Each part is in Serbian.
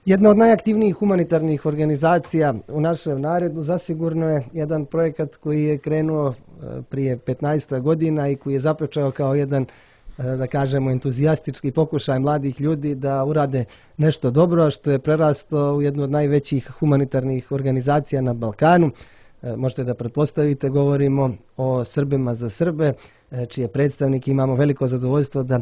Jedna od najaktivnijih humanitarnih organizacija u našem narodu zasigurno je jedan projekat koji je krenuo prije 15 godina i koji je započeo kao jedan, da kažemo, entuzijastički pokušaj mladih ljudi da urade nešto dobro, a što je prerasto u jednu od najvećih humanitarnih organizacija na Balkanu. Možete da pretpostavite, govorimo o Srbima za Srbe, čije predstavnike imamo veliko zadovoljstvo da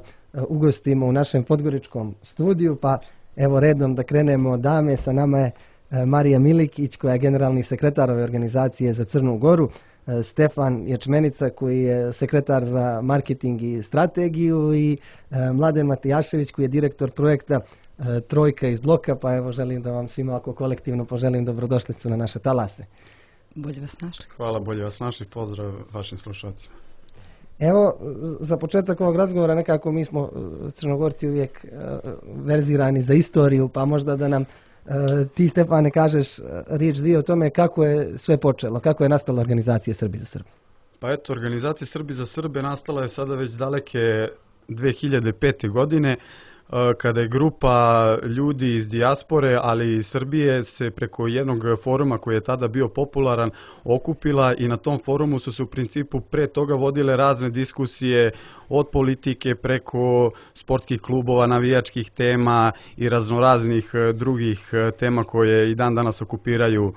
ugostimo u našem podgoričkom studiju, pa evo redom da krenemo od dame. Sa nama je Marija Milikić, koja je generalni sekretar ove organizacije za Crnu Goru, Stefan Ječmenica, koji je sekretar za marketing i strategiju, i Mladen Matijašević, koji je direktor projekta Trojka iz bloka. Pa evo, želim da vam svima ovako kolektivno poželim dobrodošlicu na naše talase. Bolje vas našli. Hvala, bolje vas našli. Pozdrav vašim slušalcima. Evo, za početak ovog razgovora nekako mi smo Crnogorci uvijek verzirani za istoriju, pa možda da nam ti, Stefane, kažeš riječ dvije o tome kako je sve počelo, kako je nastala organizacija Srbi za Srbe. Pa eto, organizacija Srbi za Srbe nastala je sada već daleke 2005. godine, kada je grupa ljudi iz dijaspore, ali i iz Srbije, se preko jednog foruma koji je tada bio popularan okupila, i na tom forumu su se u principu pre toga vodile razne diskusije od politike preko sportskih klubova, navijačkih tema i raznoraznih drugih tema koje i dan danas okupiraju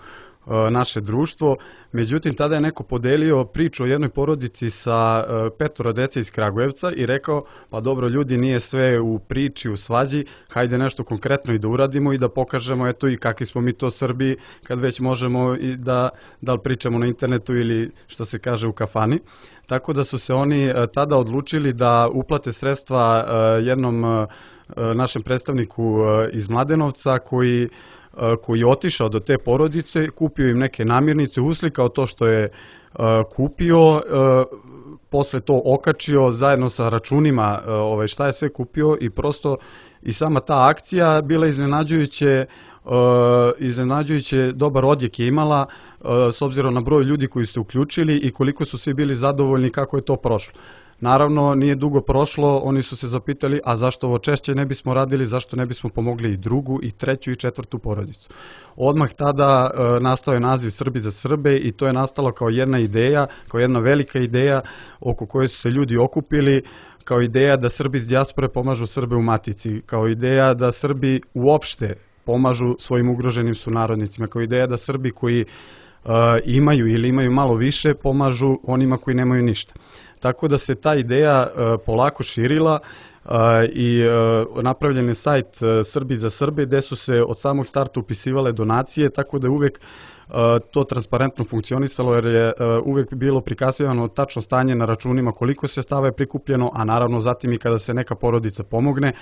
naše društvo. Međutim, tada je neko podelio priču o jednoj porodici sa 5 dece iz Kragujevca i rekao, pa dobro ljudi, nije sve u priči, u svađi, hajde nešto konkretno i da uradimo i da pokažemo eto i kakvi smo mi to Srbi, kad već možemo i da li pričamo na internetu ili što se kaže u kafani. Tako da su se oni tada odlučili da uplate sredstva jednom našem predstavniku iz Mladenovca koji je otišao do te porodice, kupio im neke namirnice, uslikao to što je kupio, posle to okačio zajedno sa računima šta je sve kupio, i prosto i sama ta akcija bila iznenađujuće dobar odjek je imala s obzirom na broj ljudi koji su uključili i koliko su svi bili zadovoljni kako je to prošlo. Naravno, nije dugo prošlo, oni su se zapitali, a zašto ovo češće ne bismo radili, zašto ne bismo pomogli i drugu, i treću, i četvrtu porodicu. Odmah tada nastao je naziv Srbi za Srbe, i to je nastalo kao jedna ideja, kao jedna velika ideja oko koje su se ljudi okupili, kao ideja da Srbi iz dijaspore pomažu Srbe u matici, kao ideja da Srbi uopšte pomažu svojim ugroženim sunarodnicima, kao ideja da Srbi koji imaju ili imaju malo više pomažu onima koji nemaju ništa. Tako da se ta ideja polako širila i napravljen je sajt Srbi za Srbe, gde su se od samog starta upisivale donacije, tako da je uvek to transparentno funkcionisalo, jer je uvek bilo prikazivano tačno stanje na računima, koliko sredstava je prikupljeno, a naravno zatim i kada se neka porodica pomogne,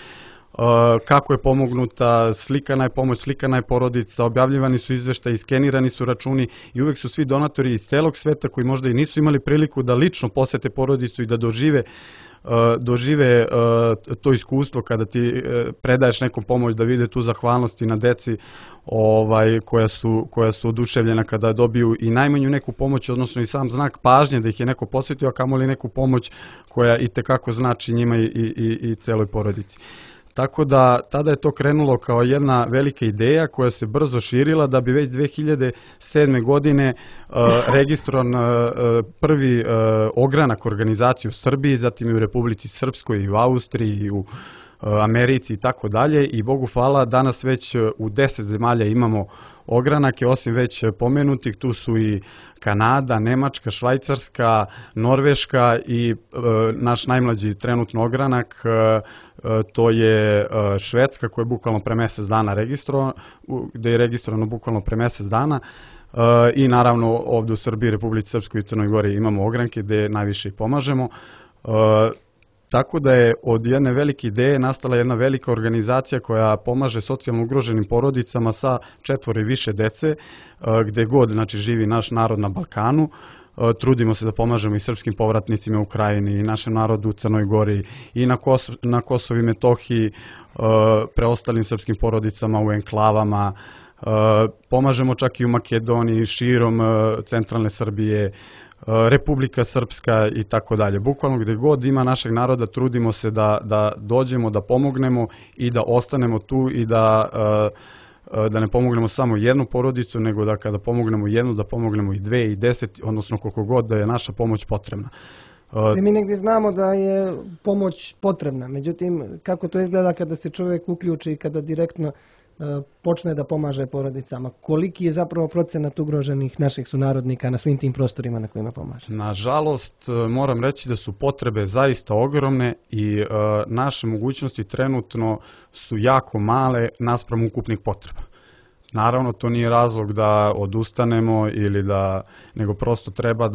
kako je pomognuta, slikana je pomoć, slikana je porodica, objavljivani su izveštaji, skenirani su računi, i uvek su svi donatori iz celog sveta koji možda i nisu imali priliku da lično posete porodicu i da dožive to iskustvo kada ti predaješ nekom pomoć, da vide tu zahvalnost i na deci koja su oduševljena kada dobiju i najmanju neku pomoć, odnosno i sam znak pažnje da ih je neko posvetio, a kamoli neku pomoć koja i tekako znači njima i celoj porodici. Tako da tada je to krenulo kao jedna velika ideja koja se brzo širila, da bi već 2007. godine registrovan prvi ogranak organizacije u Srbiji, zatim i u Republici Srpskoj, i u Austriji, i u Americi i tako dalje, i Bogu hvala danas već u 10 zemalja imamo ogranake, osim već pomenutih, tu su i Kanada, Nemačka, Švajcarska, Norveška i naš najmlađi trenutno ogranak, to je Švedska, koja je bukvalno pre mesec dana registrovana, gde je registrovano bukvalno pre mesec dana, i naravno ovde u Srbiji, Republici Srpskoj i Crnoj Gori imamo ogranke gde najviše pomažemo. Tako da je od jedne velike ideje nastala jedna velika organizacija koja pomaže socijalno ugroženim porodicama sa 4 i više dece, gde god živi naš narod na Balkanu. Trudimo se da pomažemo i srpskim povratnicima u Ukrajini, i našem narodu u Crnoj Gori, i na Kosovu i Metohiji, preostalim srpskim porodicama u enklavama. Pomažemo čak i u Makedoniji, širom centralne Srbije, Republika Srpska i tako dalje. Bukvalno gde god ima našeg naroda trudimo se da dođemo, da pomognemo i da ostanemo tu i da da ne pomognemo samo jednu porodicu, nego da kada pomognemo jednu, da pomognemo i 2 i 10, odnosno koliko god da je naša pomoć potrebna. Svi mi negdje znamo da je pomoć potrebna, međutim, kako to izgleda kada se čovjek uključi i kada direktno počne da pomaže porodicama? Koliki je zapravo procenat ugroženih naših sunarodnika na svim tim prostorima na kojima pomaže? Nažalost, moram reći da su potrebe zaista ogromne i naše mogućnosti trenutno su jako male naspram ukupnih potreba. Naravno, to nije razlog da odustanemo ili nego prosto treba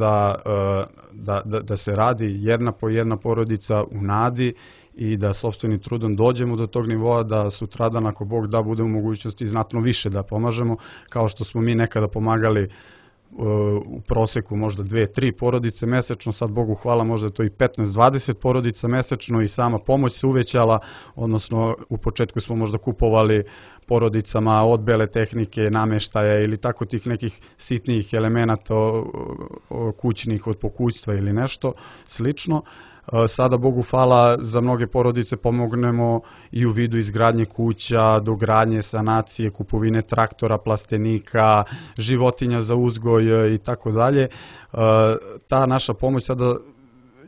da se radi jedna po jedna porodica u nadi i da sopstvenim trudom dođemo do tog nivoa da sutradan, ako Bog da, budemo u mogućnosti znatno više da pomažemo, kao što smo mi nekada pomagali u proseku možda 2-3 porodice mesečno, sad Bogu hvala možda to i 15-20 porodica mesečno i sama pomoć se uvećala, odnosno u početku smo možda kupovali porodicama od bele tehnike, nameštaja ili tako tih nekih sitnijih elemenata kućnih od pokućstva ili nešto slično. Sada, Bogu hvala, za mnoge porodice pomognemo i u vidu izgradnje kuća, dogradnje, sanacije, kupovine traktora, plastenika, životinja za uzgoj i tako dalje. Ta naša pomoć sada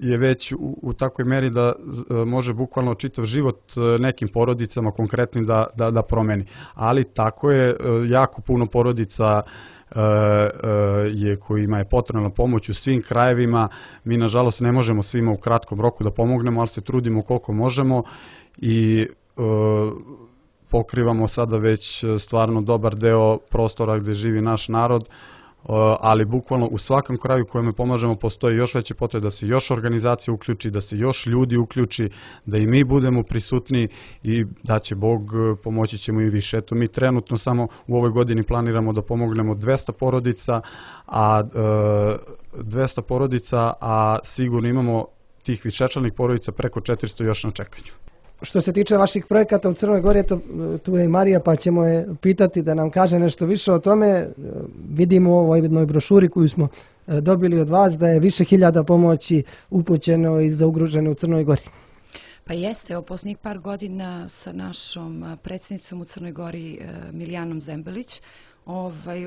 je već u takvoj meri da može bukvalno čitav život nekim porodicama konkretnim da promeni. Ali tako je, jako puno porodica kojima je potrebna pomoć u svim krajevima. Mi nažalost ne možemo svima u kratkom roku da pomognemo, ali se trudimo koliko možemo i pokrivamo sada već stvarno dobar deo prostora gde živi naš narod, ali bukvalno u svakom kraju kojima pomažemo postoji još veće potrebe da se još organizacija uključi, da se još ljudi uključi, da i mi budemo prisutni i da će Bog, pomoći ćemo i više. Eto, mi trenutno samo u ovoj godini planiramo da pomognemo 200 porodica, a sigurno imamo tih višečlanih porodica preko 400 još na čekanju. Što se tiče vaših projekata u Crnoj Gori, tu je i Marija, pa ćemo je pitati da nam kaže nešto više o tome. Vidimo u ovoj jednoj brošuri koju smo dobili od vas da je više hiljada pomoći upućeno i za ugrožene u Crnoj Gori. Pa jeste, evo posljednjih par godina sa našom predsjednicom u Crnoj Gori Milijanom Zembelić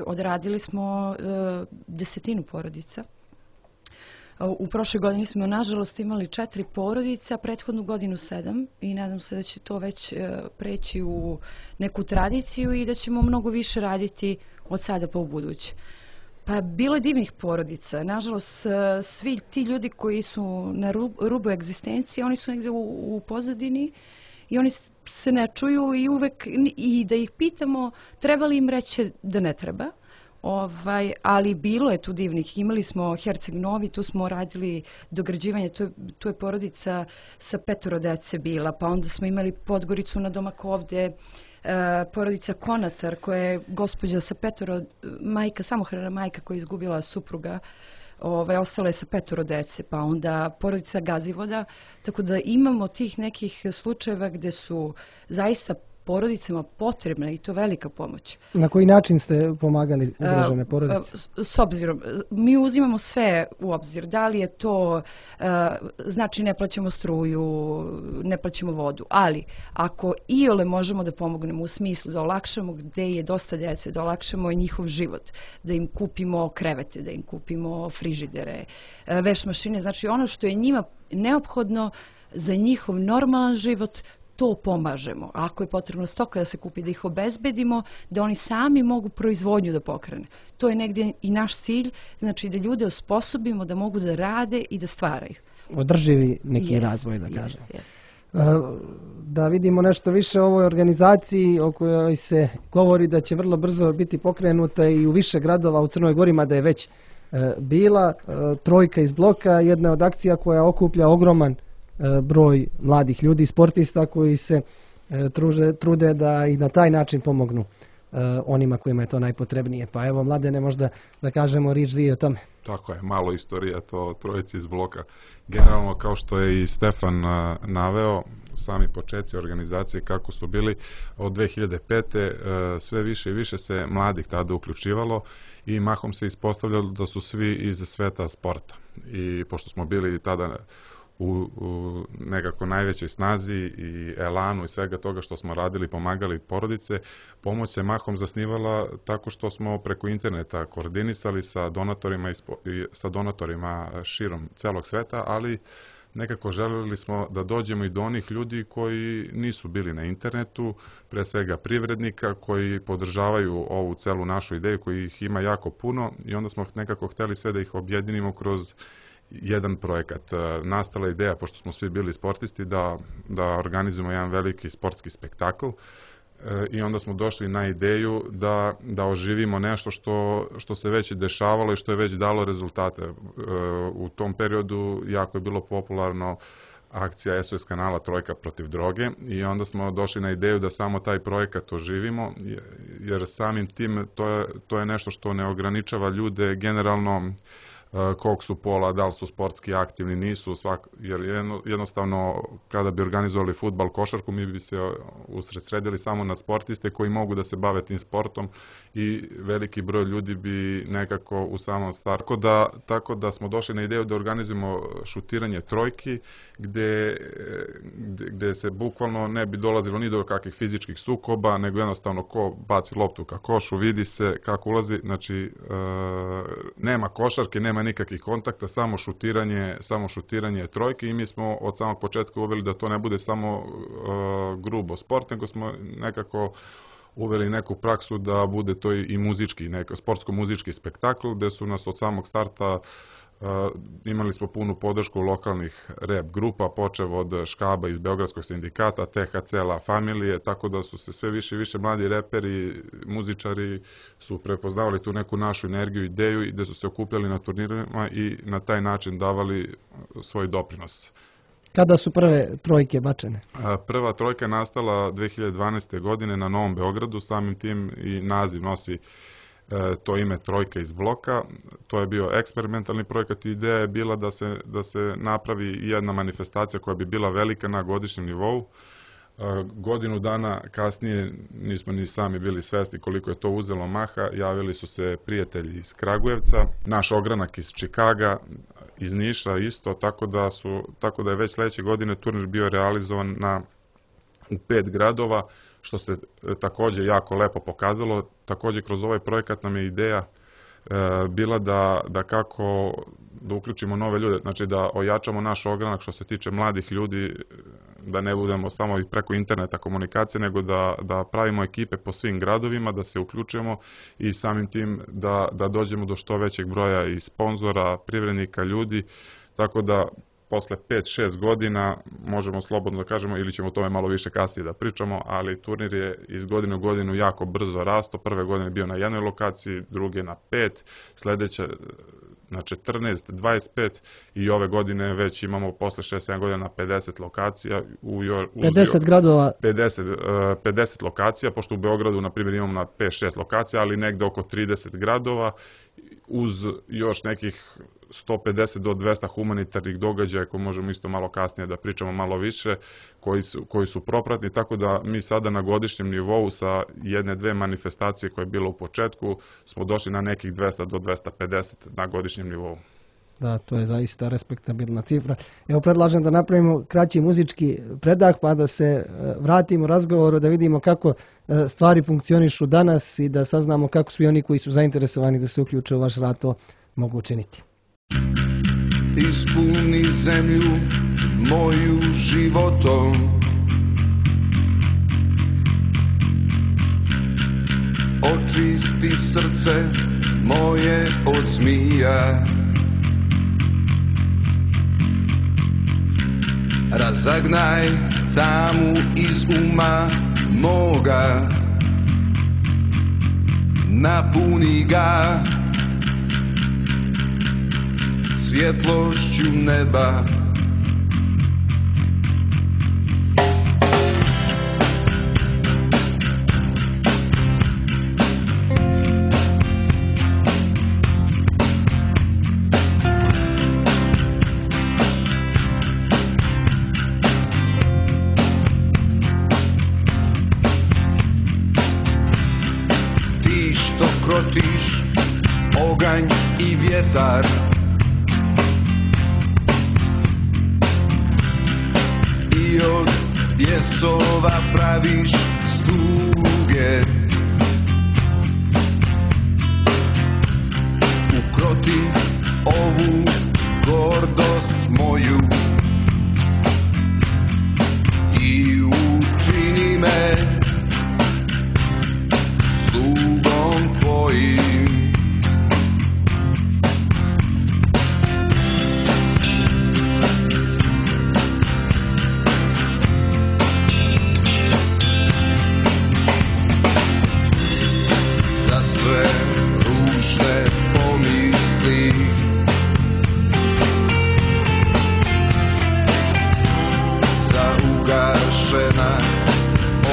odradili smo 10 porodica. U prošloj godini smo nažalost imali 4 porodice, a prethodnu godinu 7 i nadam se da će to već preći u neku tradiciju i da ćemo mnogo više raditi od sada pa u buduće. Pa bilo je divnih porodica. Nažalost, svi ti ljudi koji su na rubu egzistencije, oni su negdje u pozadini i oni se ne čuju i uvek i da ih pitamo treba li im reći da ne treba. Ali bilo je tu divnih. Imali smo Herceg Novi, tu smo radili dograđivanje, tu je porodica sa 5 dece bila, pa onda smo imali Podgoricu na Domakovde, porodica Konatar koja je gospođa sa 5 majka, samohrana majka koja je izgubila supruga, ostala je sa 5 dece, pa onda porodica Gazivoda, tako da imamo tih nekih slučajeva gde su zaista porodicama potrebna i to velika pomoć. Na koji način ste pomagali ugrožene porodice? S obzirom, mi uzimamo sve u obzir. Da li je to, znači ne plaćamo struju, ne plaćamo vodu, ali ako iole možemo da pomognemo u smislu da olakšamo gde je dosta djece, da olakšamo njihov život, da im kupimo krevete, da im kupimo frižidere, veš mašine, znači ono što je njima neophodno za njihov normalan život, to pomažemo. Ako je potrebno stoka da se kupi, da ih obezbedimo, da oni sami mogu proizvodnju da pokrene. To je negdje i naš cilj, znači da ljude osposobimo da mogu da rade i da stvaraju. Održivi neki razvoj, da kažem. Da vidimo nešto više o ovoj organizaciji o kojoj se govori da će vrlo brzo biti pokrenuta i u više gradova u Crnoj Gori, mada je već bila. Trojka iz bloka, jedna od akcija koja okuplja ogroman broj mladih ljudi, sportista koji se trude da i na taj način pomognu onima kojima je to najpotrebnije. Pa evo, Mladene, možda da kažemo riječ dvije o tome. Tako je, malo istorija to trojici iz bloka. Generalno, kao što je i Stefan naveo, sami početci organizacije kako su bili od 2005. Sve više i više se mladih tada uključivalo i mahom se ispostavljalo da su svi iz sveta sporta. I pošto smo bili tada u nekako najvećoj snazi i elanu i svega toga što smo radili, pomagali porodice. Pomoć se mahom zasnivala tako što smo preko interneta koordinisali sa donatorima širom celog sveta, ali nekako želeli smo da dođemo i do onih ljudi koji nisu bili na internetu, pre svega privrednika koji podržavaju ovu celu našu ideju, koji ih ima jako puno, i onda smo nekako hteli sve da ih objedinimo kroz jedan projekat. Nastala ideja, pošto smo svi bili sportisti, da organizujemo jedan veliki sportski spektakl, i onda smo došli na ideju da oživimo nešto što se već dešavalo i što je već dalo rezultate. U tom periodu jako je bilo popularno akcija SOS kanala Trojka protiv droge, i onda smo došli na ideju da samo taj projekat oživimo, jer samim tim to je nešto što ne ograničava ljude generalno kog su pola, da li su sportski aktivni, nisu, jer jednostavno kada bi organizovali fudbal, košarku, mi bi se usredsredili samo na sportiste koji mogu da se bave tim sportom, i veliki broj ljudi bi nekako u samom startu. Tako da smo došli na ideju da organizujemo šutiranje trojki, gde se bukvalno ne bi dolazilo ni do kakvih fizičkih sukoba, nego jednostavno ko baci loptu ka košu, vidi se kako ulazi, znači nema košarke, nema nikakvih kontakta, samo šutiranje trojke, i mi smo od samog početka uveli da to ne bude samo grubo sport, nego smo nekako uveli neku praksu da bude to i muzički, sportsko-muzički spektakl, gde su nas od samog starta imali smo punu podršku lokalnih rap grupa, počev od Škaba iz Beogradskog sindikata, THC La Familije, tako da su se sve više i više mladi reperi, muzičari su prepoznavali tu neku našu energiju, ideju, i gde su se okupljali na turnirima i na taj način davali svoj doprinos. Kada su prve trojke bačene? Prva trojka je nastala 2012. godine na Novom Beogradu, samim tim i naziv nosi to ime Trojka iz bloka. To je bio eksperimentalni projekat i ideja je bila da se napravi jedna manifestacija koja bi bila velika na godišnjem nivou. Godinu dana kasnije nismo ni sami bili svesni koliko je to uzelo maha, javili su se prijatelji iz Kragujevca, naš ogranak iz Čikaga, iz Niša isto, tako da je već sledeće godine turnir bio realizovan u 5 gradova, što se takođe jako lepo pokazalo. Takođe kroz ovaj projekat nam je ideja bila da kako da uključimo nove ljude, znači da ojačamo naš ogranak što se tiče mladih ljudi, da ne budemo samo i preko interneta komunikacije, nego da pravimo ekipe po svim gradovima, da se uključimo i samim tim da dođemo do što većeg broja i sponzora, privrednika, ljudi, tako da posle 5-6 godina možemo slobodno da kažemo, ili ćemo o tome malo više kasnije da pričamo, ali turnir je iz godine u godinu jako brzo rasto. Prve godine bio na jednoj lokaciji, druge na 5, sledeće na 14, 25 i ove godine već imamo posle 6-7 godina na 50 lokacija. 50 gradova? 50 lokacija, pošto u Beogradu, na primjer, imamo na 5-6 lokacija, ali negde oko 30 gradova, uz još nekih 150 do 200 humanitarnih događaja, koje možemo isto malo kasnije da pričamo malo više, koji su propratni, tako da mi sada na godišnjem nivou sa jedne-dve manifestacije koje je bilo u početku smo došli na nekih 200 do 250 na godišnjem nivou. Da, to je zaista respektabilna cifra. Evo, predlažem da napravimo kraći muzički predah, pa da se vratimo razgovoru, da vidimo kako stvari funkcionišu danas i da saznamo kako svi oni koji su zainteresovani da se uključe u vaš rad to mogu učiniti. Ispuni zemlju moju životom, očisti srce moje od zmija, razagnaj tamu iz uma moga, napuni ga svjetlošću neba. Ti što krotiš oganj i vjetar, Bijesova praviš sluge, ukroti ovu gordost moju i učini me slugom tvojim. Za sve ružne pomisli, za ugašena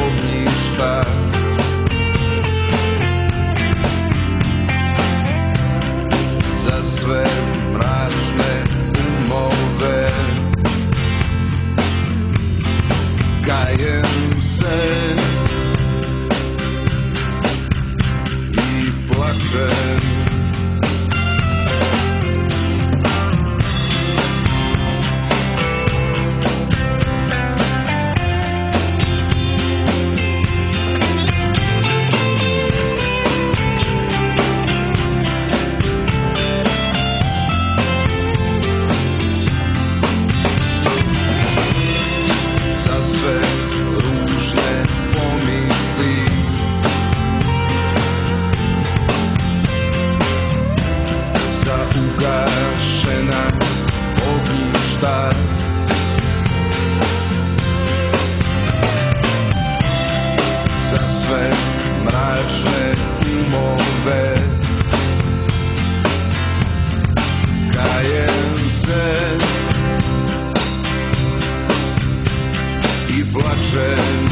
ognjišta, za sve mračne umove, kajem se i plačem. Za sve ružne pomisli, za ugašena ognjišta, za sve mračne umove, kajem se i plačem.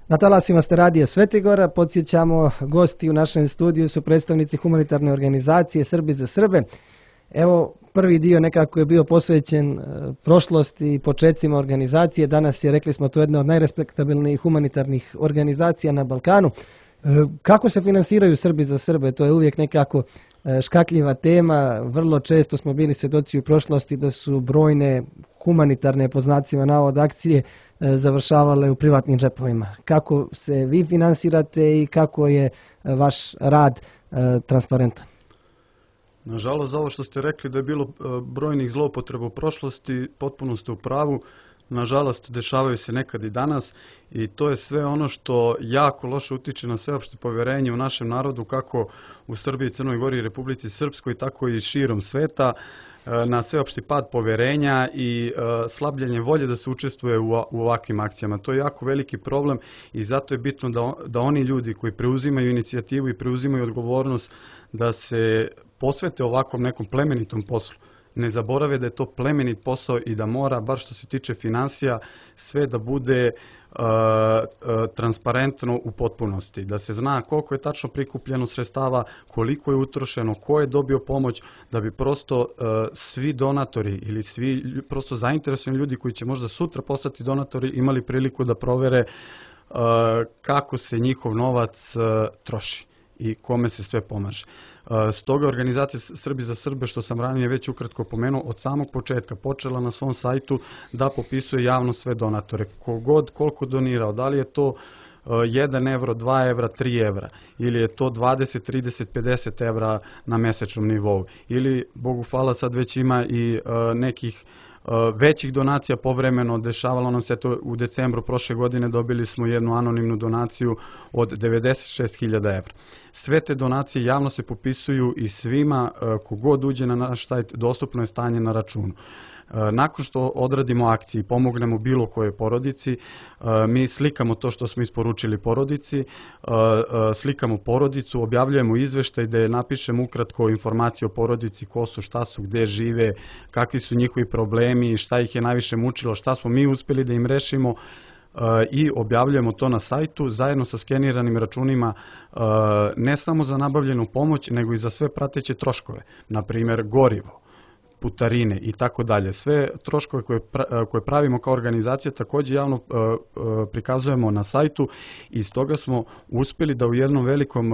Na talasima ste radija Svetigora, podsjećamo, gosti u našem studiju su predstavnici humanitarne organizacije Srbi za Srbe. Evo, prvi dio nekako je bio posvećen prošlosti i početcima organizacije. Danas je, rekli smo, to jedna od najrespektabilnijih humanitarnih organizacija na Balkanu. Kako se finansiraju Srbi za Srbe? To je uvijek nekako škakljiva tema. Vrlo često smo bili svjedoci u prošlosti da su brojne humanitarne, po znacima navoda, akcije završavale u privatnim džepovima. Kako se vi finansirate i kako je vaš rad transparentan? Nažalost, za ovo što ste rekli da je bilo brojnih zloupotreba u prošlosti, potpuno ste u pravu. Nažalost, dešavaju se nekad i danas i to je sve ono što jako loše utiče na sveopšte povjerenje u našem narodu, kako u Srbiji, Crnoj Gori i Republici Srpskoj, tako i širom sveta, na sveopšti pad povjerenja i slabljenje volje da se učestvuje u ovakvim akcijama. To je jako veliki problem i zato je bitno da oni ljudi koji preuzimaju inicijativu i preuzimaju odgovornost da se posvete ovakvom nekom plemenitom poslu. Ne zaborave da je to plemenit posao i da mora, bar što se tiče finansija, sve da bude transparentno u potpunosti. Da se zna koliko je tačno prikupljeno sredstava, koliko je utrošeno, ko je dobio pomoć, da bi prosto svi donatori ili svi prosto zainteresovani ljudi koji će možda sutra postati donatori imali priliku da provere kako se njihov novac troši i kome se sve pomaže. Stoga organizacija Srbi za Srbe, što sam ranije već ukratko pomenuo, od samog početka počela na svom sajtu da popisuje javno sve donatore. Kogod koliko donirao, da li je to 1 evro, 2 evra, 3 evra, ili je to 20, 30, 50 evra na mesečnom nivou, ili, Bogu hvala, sad već ima i nekih većih donacija povremeno. Dešavalo nam se to u decembru prošle godine, dobili smo jednu anonimnu donaciju od 96.000 evra. Sve te donacije javno se popisuju i svima kogod uđe na naš sajt dostupno je stanje na računu. Nakon što odradimo akcije i pomognemo bilo kojoj porodici, mi slikamo to što smo isporučili porodici, slikamo porodicu, objavljujemo izveštaj gde napišemo ukratko informacije o porodici, ko su, šta su, gde žive, kakvi su njihovi problemi, šta ih je najviše mučilo, šta smo mi uspeli da im rešimo, i objavljujemo to na sajtu zajedno sa skeniranim računima, ne samo za nabavljenu pomoć, nego i za sve prateće troškove, na primjer gorivo, putarine i tako dalje. Sve troškove koje pravimo kao organizacija takođe javno prikazujemo na sajtu i stoga smo uspeli da u jednom velikom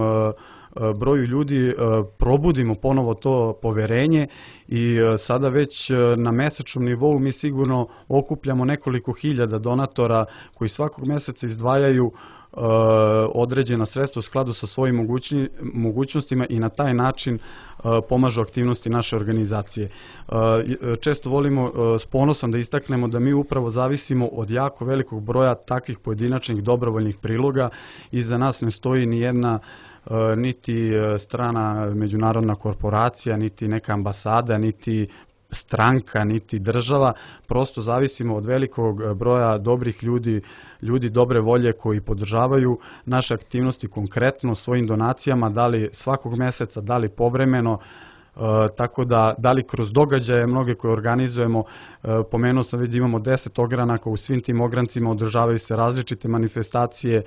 broju ljudi probudimo ponovo to poverenje i sada već na mesečnom nivou mi sigurno okupljamo nekoliko hiljada donatora koji svakog meseca izdvajaju određena sredstva u skladu sa svojim mogućnostima i na taj način pomažu aktivnosti naše organizacije. Često volimo s ponosom da istaknemo da mi upravo zavisimo od jako velikog broja takvih pojedinačnih dobrovoljnih priloga. Iza nas ne stoji ni jedna niti strana međunarodna korporacija, niti neka ambasada, niti stranka, niti država, prosto zavisimo od velikog broja dobrih ljudi dobre volje koji podržavaju naše aktivnosti konkretno svojim donacijama, da li svakog meseca, da li povremeno, tako da li kroz događaje mnoge koje organizujemo, pomenuo sam već da imamo 10 ogranaka, u svim tim ograncima održavaju se različite manifestacije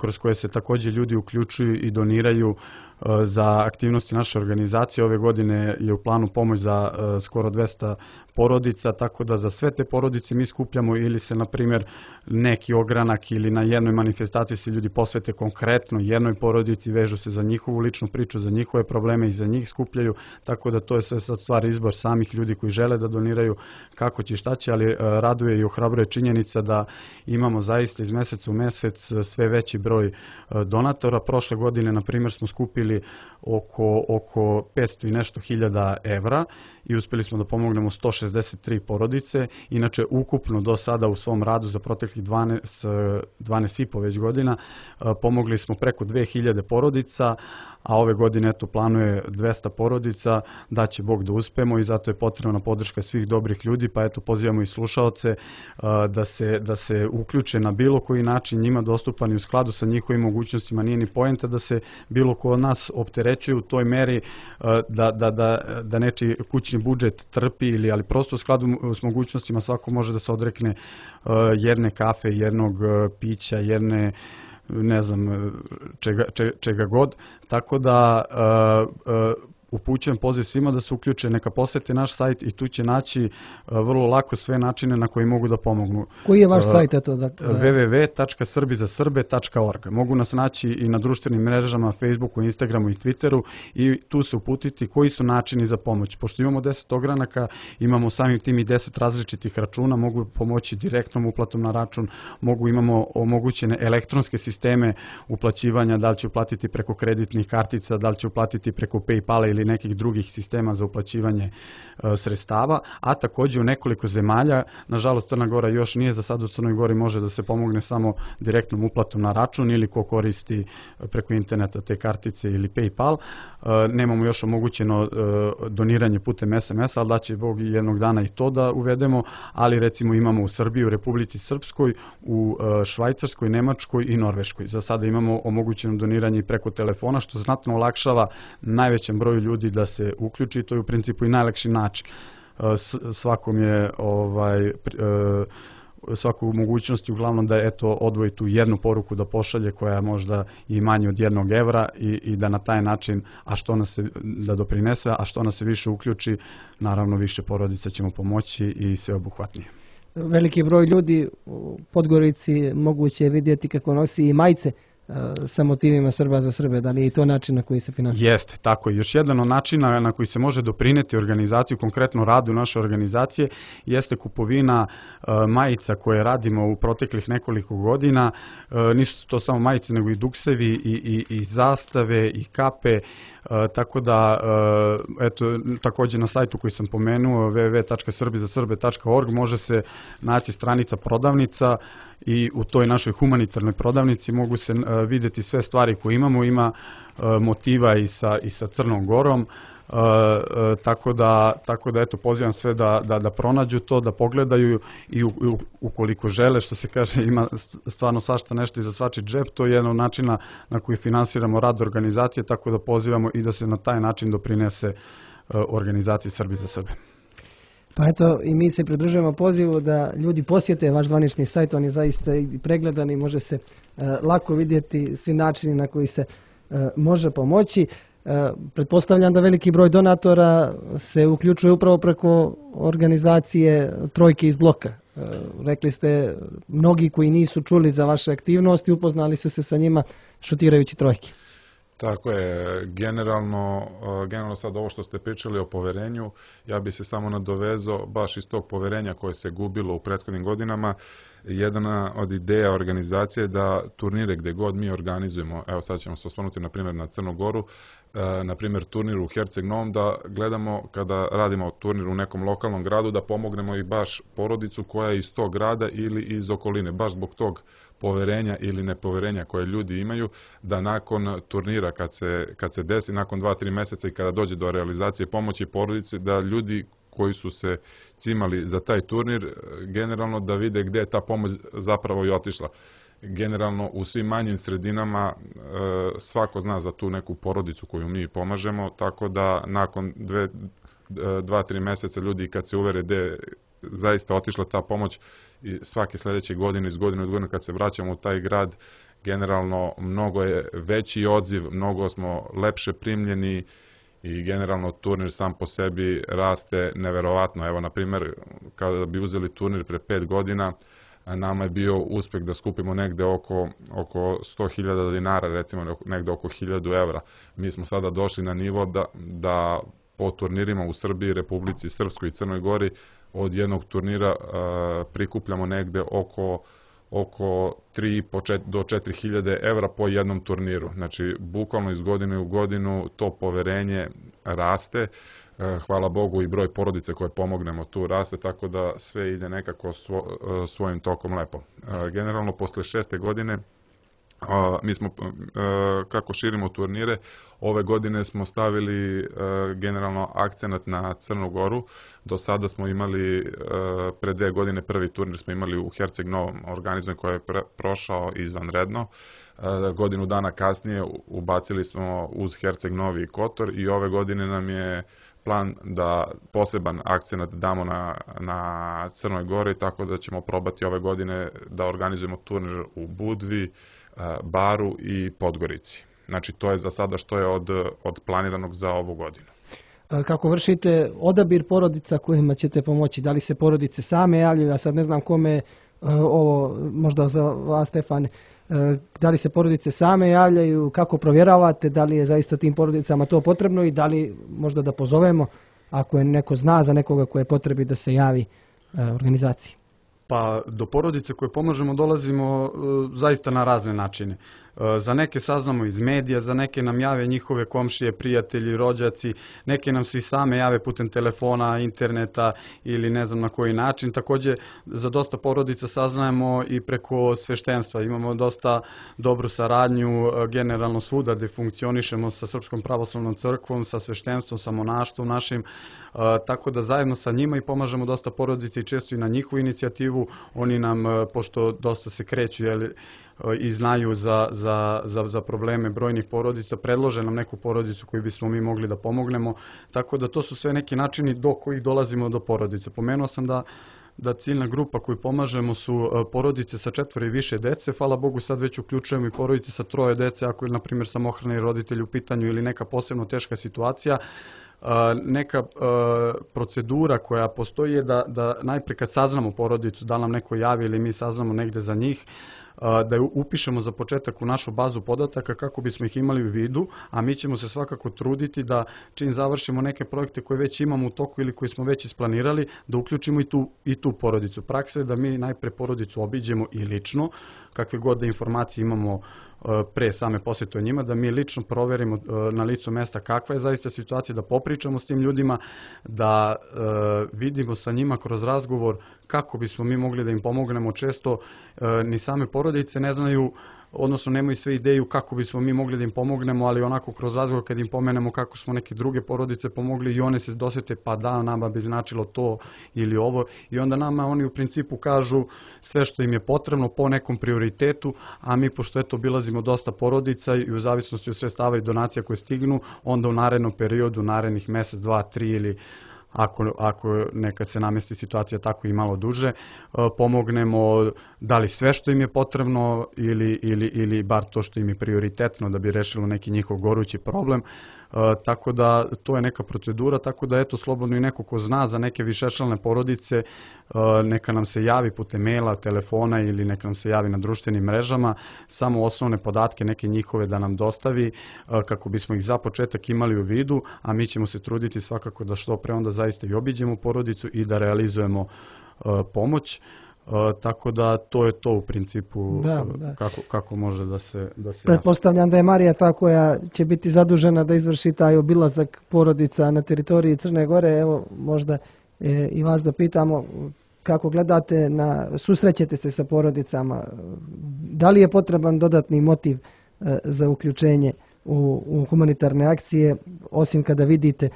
kroz koje se takođe ljudi uključuju i doniraju za aktivnosti naše organizacije. Ove godine je u planu pomoć za skoro 200 porodica, tako da za sve te porodice mi skupljamo ili se, na primjer, neki ogranak ili na jednoj manifestaciji se ljudi posvete konkretno jednoj porodici, vežu se za njihovu ličnu priču, za njihove probleme i za njih skupljaju, tako da to je sve sad stvar izbor samih ljudi koji žele da doniraju kako će i šta će, ali raduje i ohrabruje činjenica da imamo zaista iz meseca u mesec sve veći broj donatora. Prošle godine, na primjer, smo skupili oko 500 i nešto hiljada evra i uspeli smo da pomognemo 163 porodice. Inače, ukupno do sada u svom radu za proteklih 12,5 već godina pomogli smo preko 2000 porodica, a ove godine planuje 200 porodica, da će Bog da uspemo i zato je potrebna podrška svih dobrih ljudi, pa pozivamo i slušaoce da se uključe na bilo koji način njima dostupan i u skladu sa njihovim mogućnostima. Nije ni poenta da se bilo ko od nas opterećuje u toj meri da nečiji kućni budžet trpi, ali prosto u skladu s mogućnostima svako može da se odrekne jedne kafe, jednog pića, jedne ne znam čega god, tako da upućujem poziv svima da se uključe, neka posete naš sajt i tu će naći vrlo lako sve načine na koji mogu da pomognu. Koji je vaš sajt? www.srbizasrbe.org. Mogu nas naći i na društvenim mrežama, Facebooku, Instagramu i Twitteru i tu se uputiti koji su načini za pomoć. Pošto imamo 10 ogranaka, imamo samim tim i 10 različitih računa, mogu pomoći direktnom uplatom na račun, imamo omogućene elektronske sisteme uplaćivanja, da li će uplatiti preko kreditnih kartica, da li će uplatiti preko PayPala ili nekih drugih sistema za uplaćivanje sredstava, a takođe u nekoliko zemalja, nažalost Crna Gora još nije, za sad u Crnoj Gori može da se pomogne samo direktnom uplatom na račun ili ko koristi preko interneta te kartice ili PayPal. Nemamo još omogućeno doniranje putem SMS-a, ali da će Bog jednog dana i to da uvedemo, ali recimo imamo u Srbiji, u Republici Srpskoj, u Švajcarskoj, Nemačkoj i Norveškoj. Za sada imamo omogućeno doniranje preko telefona, što znatno olakšava najvećem broju ljudi da se uključi, to je u principu i najlakši način. Svakom je svaku mogućnosti uglavnom da odvoji tu jednu poruku da pošalje koja je možda i manje od 1 evra i da na taj način, da doprinese, a što nas se više uključi, naravno više porodica ćemo pomoći i sve obuhvatnije. Veliki broj ljudi u Podgorici moguće je vidjeti kako nosi i majice sa motivima Srba za Srbe, da li je i to način na koji se finansira? Jeste, tako je. Još jedan od načina na koji se može doprineti organizaciju, konkretno radu naše organizacije, jeste kupovina majica koje radimo u proteklih nekoliko godina. Nisu to samo majice, nego i duksevi i zastave i kape, tako da, takođe na sajtu koji sam pomenuo, www.srbizasrbe.org, može se naći stranica prodavnica i u toj našoj humanitarnoj prodavnici mogu se vidjeti sve stvari koje imamo, ima motiva i sa Crnom Gorom. Tako da eto, pozivam sve da pronađu to, da pogledaju i ukoliko žele, što se kaže, ima stvarno svašta nešto i za svačiji džep, to je jedan od načina na koji finansiramo rad organizacije, tako da pozivamo i da se na taj način doprinese organizaciji Srbi za sebe. Pa eto, i mi se pridružujemo pozivu da ljudi posjete vaš zvanični sajt, on je zaista i pregledan i može se lako vidjeti svi načini na koji se može pomoći. Pretpostavljam da veliki broj donatora se uključuje upravo preko organizacije Trojke iz bloka. Rekli ste, mnogi koji nisu čuli za vaše aktivnosti upoznali su se sa njima šutirajući trojke. Tako je, generalno sad ovo što ste pričali o poverenju, ja bi se samo nadovezao baš iz tog poverenja koje se gubilo u prethodnim godinama. Jedna od ideja organizacije je da turnire gdje god mi organizujemo, evo sad ćemo se osvrnuti na primjer na Crnu Goru, na primjer turnir u Herceg Novom, da gledamo kada radimo turnir u nekom lokalnom gradu da pomognemo i baš porodicu koja je iz tog grada ili iz okoline, baš zbog tog poverenja ili nepoverenja koje ljudi imaju, da nakon turnira kad se desi, nakon 2-3 mjeseca i kada dođe do realizacije pomoći porodici, da ljudi koji su se cimali za taj turnir, generalno da vide gdje je ta pomoć zapravo i otišla. Generalno u svim manjim sredinama svako zna za tu neku porodicu koju mi pomažemo, tako da nakon 2-3 mjeseca ljudi kad se uvere gdje je zaista otišla ta pomoć, i svake sljedeće godine, iz godine u godinu kad se vraćamo u taj grad, generalno mnogo je veći odziv, mnogo smo lepše primljeni i generalno turnir sam po sebi raste neverovatno. Evo, na primjer, kada bi uzeli turnir pre 5 godina, nama je bio uspjeh da skupimo negde oko 100.000 dinara, recimo negde oko 1.000 evra. Mi smo sada došli na nivo da po turnirima u Srbiji, Republici Srpskoj i Crnoj Gori od jednog turnira prikupljamo negde oko 3.500 do 4.000 evra po jednom turniru. Znači, bukvalno iz godine u godinu to poverenje raste. Hvala Bogu i broj porodice koje pomognemo tu raste, tako da sve ide nekako svojim tokom lepo. Generalno, posle 6. godine, mi smo, kako širimo turnire, ove godine smo stavili generalno akcenat na Crnu Goru. Do sada smo imali, pre 2 godine prvi turnir smo imali u Herceg Novom organizovan koji je prošao izvanredno. Godinu dana kasnije ubacili smo uz Herceg Novi i Kotor i ove godine nam je plan da poseban akcenat damo na Crnoj Gori, tako da ćemo probati ove godine da organizujemo turnir u Budvi, Baru i Podgorici. Znači, to je za sada što je od planiranog za ovu godinu. Kako vršite odabir porodica kojima ćete pomoći? Da li se porodice same javljaju? Ja sad ne znam kome ovo, možda za vas, Stefane, da li se porodice same javljaju, kako provjeravate, da li je zaista tim porodicama to potrebno i da li možda da pozovemo ako je neko zna za nekoga koje je potrebi da se javi organizaciji? Pa do porodice koje pomažemo dolazimo zaista na razne načine. Za neke saznamo iz medija, za neke nam jave njihove komšije, prijatelji, rođaci, neke nam se i same jave putem telefona, interneta ili ne znam na koji način. Također za dosta porodica saznajemo i preko sveštenstva. Imamo dosta dobru saradnju generalno svuda gdje funkcionišemo sa Srpskom pravoslavnom crkvom, sa sveštenstvom, sa monaštvom našim, tako da zajedno sa njima i pomažemo dosta porodice i često i na njihovu inicijativu. Oni nam, pošto dosta se kreću i znaju za probleme brojnih porodica, predlože nam neku porodicu koju bismo mi mogli da pomognemo, tako da to su sve neki načini do kojih dolazimo do porodice. Pomenuo sam da ciljna grupa koju pomažemo su porodice sa 4 i više dece. Hvala Bogu, sad već uključujemo i porodice sa 3 dece, ako je, na primjer, samohrani roditelj u pitanju ili neka posebno teška situacija. Neka procedura koja postoji je da najprije kad saznamo porodicu, da nam neko javi ili mi saznamo negde za njih, da je upišemo za početak u našu bazu podataka kako bismo ih imali u vidu, a mi ćemo se svakako truditi da čim završimo neke projekte koje već imamo u toku ili koji smo već isplanirali, da uključimo i tu porodicu. Praksa je da mi najpre porodicu obiđemo i lično, kakve god da informacije imamo pre same posjete o njima, da mi lično proverimo na licu mesta kakva je zaista situacija, da popričamo s tim ljudima, da vidimo sa njima kroz razgovor kako bismo mi mogli da im pomognemo. Često ni same porodice ne znaju odnosno nemaju sve ideju kako bismo mi mogli da im pomognemo, ali onako kroz razgovor kad im pomenemo kako smo neke druge porodice pomogli i one se dosete pa da, nama bi značilo to ili ovo i onda nama oni u principu kažu sve što im je potrebno po nekom prioritetu, a mi pošto eto obilazimo dosta porodica i u zavisnosti od sredstava i donacija koje stignu, onda u narednom periodu, narednih mesec, 2, 3 ili ako nekad se namesti situacija tako i malo duže, pomognemo da li sve što im je potrebno ili bar to što im je prioritetno da bi rešilo neki njihov gorući problem. Tako da to je neka procedura, tako da eto slobodno i neko ko zna za neke višečlane porodice neka nam se javi putem maila, telefona ili neka nam se javi na društvenim mrežama, samo osnovne podatke neke njihove da nam dostavi kako bismo ih za početak imali u vidu, a mi ćemo se truditi svakako da što pre onda zaista i obiđemo porodicu i da realizujemo pomoć. Tako da to je to u principu kako može da se... Pretpostavljam da je Marija ta koja će biti zadužena da izvrši taj obilazak porodica na teritoriji Crne Gore. Evo možda i vas da pitamo kako gledate, susrećete se sa porodicama, da li je potreban dodatni motiv za uključenje u humanitarne akcije, osim kada vidite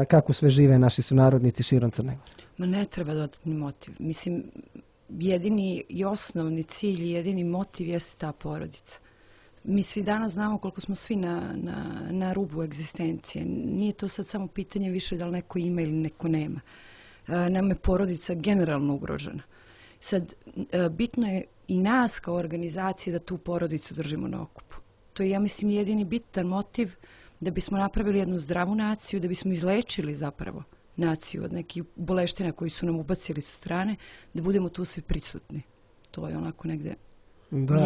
kako sve žive naši sunarodnici širom Crne Gore? Ma ne treba dodatni motiv. Mislim, jedini i osnovni cilj i jedini motiv jeste ta porodica. Mi svi danas znamo koliko smo svi na rubu egzistencije. Nije to sad samo pitanje više da li neko ima ili neko nema. Nama je porodica generalno ugrožena. Sad, bitno je i nas kao organizacije da tu porodicu držimo na okupu. To je, ja mislim, jedini bitan motiv da bismo napravili jednu zdravu naciju, da bismo izlečili zapravo naciju od nekih boleština koji su nam ubacili sa strane, da budemo tu svi prisutni. To je onako negde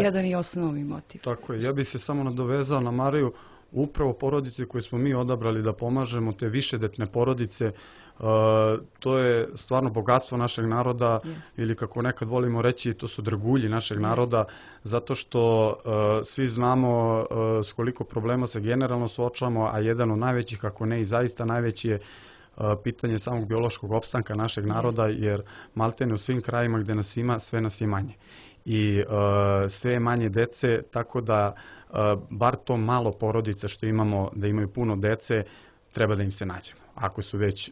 jedan i osnovni motiv. Tako je. Ja bih se samo nadovezao na Mariju. Upravo porodice koje smo mi odabrali da pomažemo, te višedetne porodice, to je stvarno bogatstvo našeg naroda ili kako nekad volimo reći, to su dragulji našeg naroda, zato što svi znamo s koliko problema se generalno suočavamo, a jedan od najvećih, ako ne i zaista najveći je pitanje samog biološkog opstanka našeg naroda, jer maltene u svim krajima gde nas ima, sve nas je manje. I sve je manje dece, tako da bar to malo porodica što imamo, da imaju puno dece, treba da im se nađemo. Ako su već,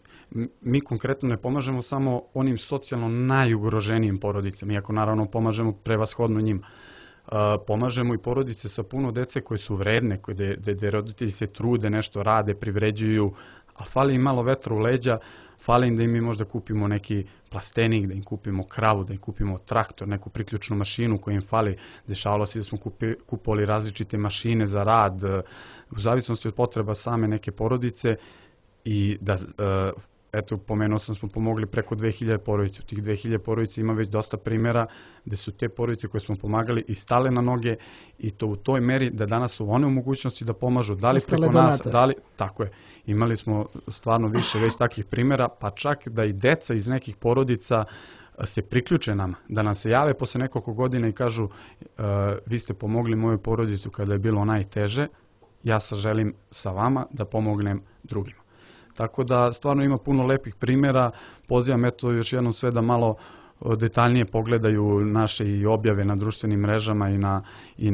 mi konkretno ne pomažemo samo onim socijalno najugroženijim porodicama, iako naravno pomažemo prevashodno njima. Pomažemo i porodice sa puno dece koje su vredne, gde roditelji se trude, nešto rade, privređuju, a fali im malo vetra u leđa, fali im da im mi možda kupimo neki plastenik, da im kupimo kravu, da im kupimo traktor, neku priključnu mašinu koja im fali. Dešavalo se da smo kupovali različite mašine za rad, u zavisnosti od potreba same neke porodice i da, eto, pomenuo sam, smo pomogli preko 2000 porodica. U tih 2000 porodica ima već dosta primjera gde su te porodice koje smo pomagali i stale na noge i to u toj meri da danas su one u mogućnosti da pomažu, da li preko nas, da li, tako je. Imali smo stvarno više već takvih primjera, pa čak da i deca iz nekih porodica se priključe nama, da nam se jave posle nekoliko godina i kažu vi ste pomogli moju porodicu kada je bilo najteže, ja sad želim sa vama da pomognem drugima. Tako da stvarno ima puno lepih primjera, pozivam eto još jednom sve da malo detaljnije pogledaju naše i objave na društvenim mrežama i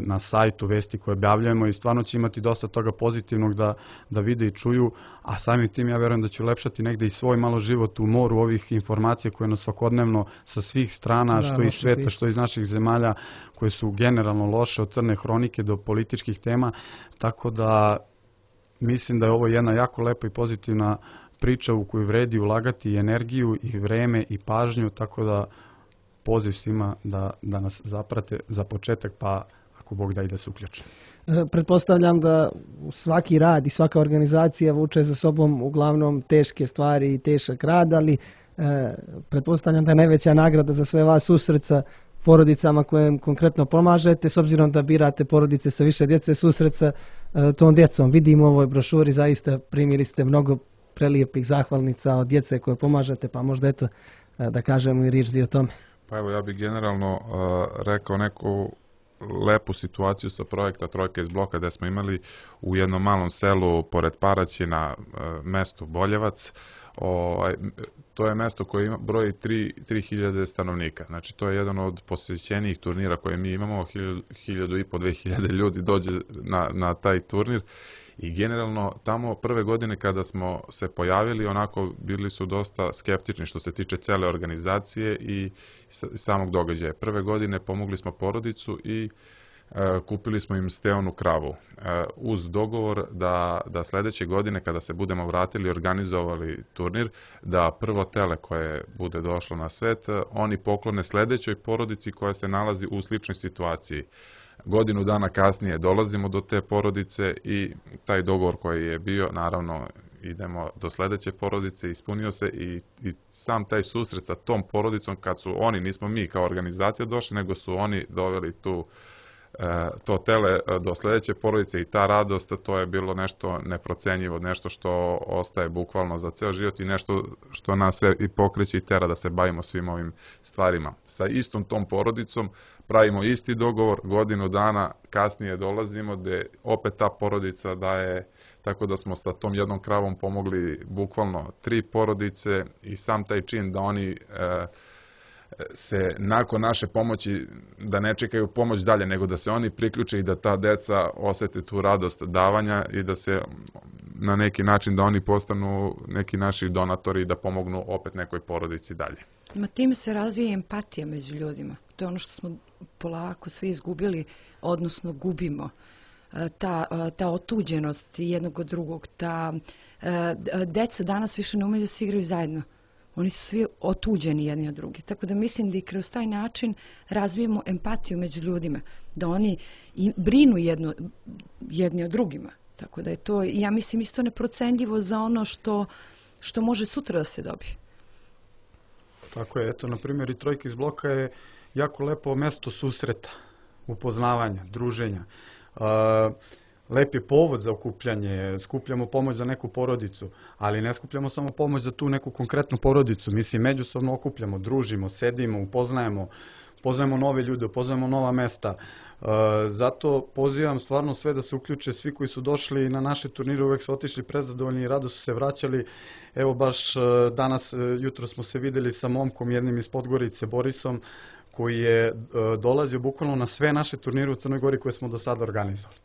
na sajtu vesti koje objavljujemo i stvarno će imati dosta toga pozitivnog da vide i čuju, a samim tim ja verujem da će ulepšati negde i svoj malo život u moru ovih informacija koje nas svakodnevno sa svih strana, što iz sveta, što iz naših zemalja, koje su generalno loše od crne hronike do političkih tema, tako da mislim da je ovo jedna jako lepa i pozitivna priča u koju vredi ulagati i energiju i vreme i pažnju, tako da poziv svima da nas zaprate za početak, pa ako Bog da i da se uključe. Pretpostavljam da svaki rad i svaka organizacija vuče za sobom uglavnom teške stvari i težak rad, ali pretpostavljam da je najveća nagrada za sve vas susret sa porodicama koje konkretno pomažete, s obzirom da birate porodice sa više djece, susret sa tom djecom. Vidimo u ovoj brošuri, zaista primili ste mnogo prelijepih zahvalnica od djece koje pomažete, pa možda eto da kažemo i riječ o tome. Pa evo, ja bih generalno rekao neku lepu situaciju sa projekta Trojka iz bloka gde smo imali u jednom malom selu pored Paraćina, mestu Boljevac, To je mesto koje broji 3000 stanovnika. Znači, to je jedan od posjećenijih turnira koje mi imamo. 1500-2000 ljudi dođe na taj turnir. I generalno, tamo prve godine kada smo se pojavili, onako bili su dosta skeptični što se tiče cele organizacije i samog događaja. Prve godine pomogli smo porodicu i kupili smo im steonu kravu. Uz dogovor da sledeće godine kada se budemo vratili i organizovali turnir, da prvo tele koje bude došlo na svet, oni poklone sledećoj porodici koja se nalazi u sličnoj situaciji. Godinu dana kasnije dolazimo do te porodice i taj dogovor koji je bio, naravno idemo do sledeće porodice, ispunio se i sam taj susret sa tom porodicom kad su oni, nismo mi kao organizacija došli, nego su oni doveli to tele do sledeće porodice i ta radost, to je bilo nešto neprocenjivo, nešto što ostaje bukvalno za ceo život i nešto što nas se i pokreće i tera da se bavimo svim ovim stvarima. Sa istom tom porodicom pravimo isti dogovor, godinu dana kasnije dolazimo gde opet ta porodica daje, tako da smo sa tom jednom kravom pomogli bukvalno 3 porodice i sam taj čin da oni se nakon naše pomoći, da ne čekaju pomoć dalje, nego da se oni priključe i da ta deca osete tu radost davanja i da se na neki način da oni postanu neki naši donatori i da pomognu opet nekoj porodici dalje. Time se razvija empatija među ljudima. To je ono što smo polako svi izgubili, odnosno gubimo. Ta otuđenost jednog od drugog, deca danas više ne umeju da se igraju zajedno. Oni su svi otuđeni jedni od drugih. Tako da mislim da i kroz taj način razvijemo empatiju među ljudima. Da oni brinu jedni od drugima. Tako da je to, ja mislim, isto neprocenljivo za ono što može sutra da se dobije. Tako je, eto, na primjer, i Trojka iz bloka je jako lepo mesto susreta, upoznavanja, druženja. Lep je povod za okupljanje, skupljamo pomoć za neku porodicu, ali ne skupljamo samo pomoć za tu neku konkretnu porodicu. Mi se međusobno okupljamo, družimo, sedimo, upoznajemo nove ljude, upoznajemo nova mesta. Zato pozivam stvarno sve da se uključe, svi koji su došli na naše turnire uvek su otišli prezadovoljni i rado su se vraćali. Evo baš danas, jutro smo se videli sa momkom jednim iz Podgorice, Borisom, koji je dolazio bukvalno na sve naše turnire u Crnoj Gori koje smo do sada organizovali.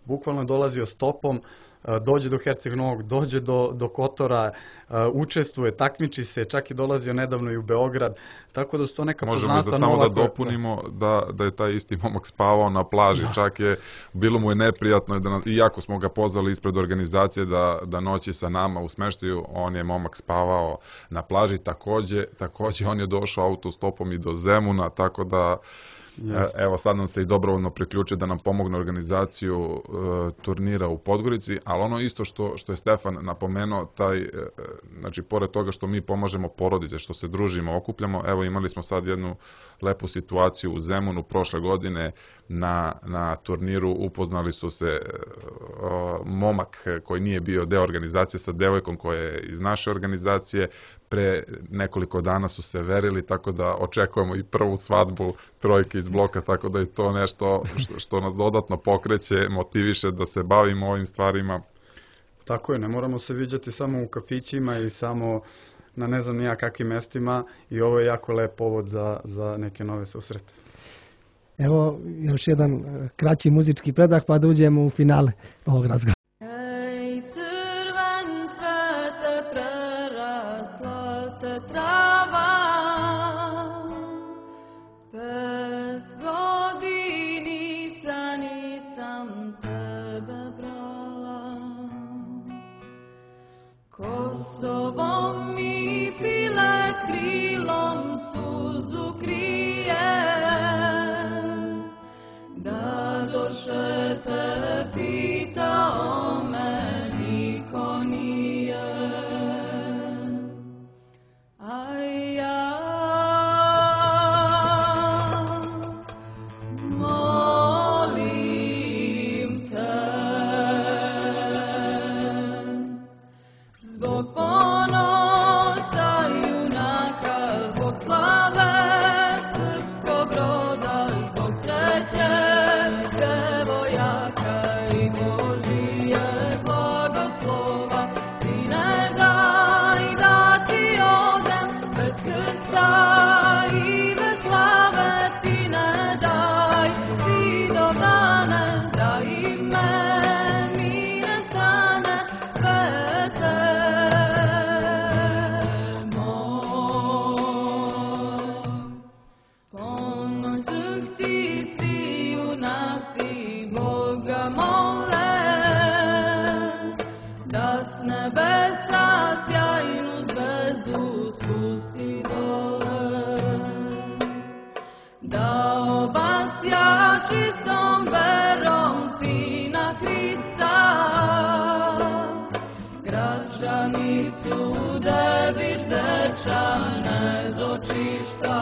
Bukvalno je dolazio stopom, dođe do Herceg Novog, dođe do Kotora, učestvuje, takmiči se, čak je dolazio nedavno i u Beograd, tako da su to neka poznata nova... Možemo samo da dopunimo da je taj isti momak spavao na plaži, čak je, bilo mu je neprijatno, iako smo ga pozvali ispred organizacije da noći sa nama u smeštaju, on je momak spavao na plaži, takođe on je došao autostopom i do Zemuna, tako da... Evo sad nam se i dobrovoljno priključe da nam pomogne organizaciju turnira u Podgorici, ali ono isto što je Stefan napomenuo, znači pored toga što mi pomažemo porodice, što se družimo, okupljamo, evo imali smo sad jednu lepu situaciju u Zemunu prošle godine na turniru, upoznali su se momak koji nije bio deo organizacije sa devojkom koja je iz naše organizacije, pre nekoliko dana su se verili, tako da očekujemo i prvu svadbu Trojke iz bloka, tako da je to nešto što nas dodatno pokreće, motiviše da se bavimo ovim stvarima. Tako je, ne moramo se viđati samo u kafićima i samo na ne znam nija kakvim mestima i ovo je jako lep povod za neke nove susrete. Evo još jedan kraći muzički predah pa da uđemo u finale ovog razgovora. Zbog ponosa nebesa sjajnu zvezdu spusti dole, da obasja čistom verom Sina Hrista, Gračanicu Dević dečane zočišta,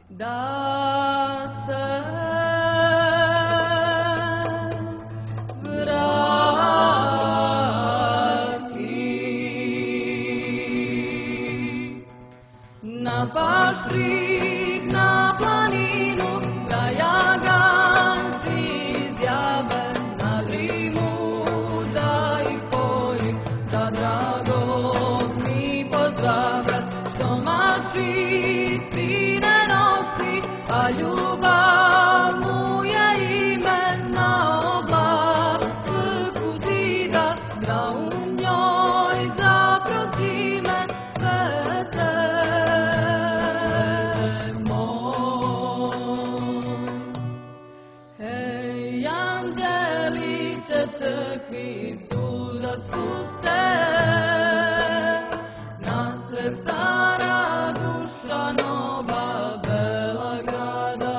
da se na paštrik, na planinu, da jaganci izjave, na grimu da ih pojim, da dragog mi pozdrave, što mači istine nosi, a ljubav mu je ime na oblaku zida, da u njoj zaprosi me svete. Crkvicu da spuste na srca raduša nova bela grada,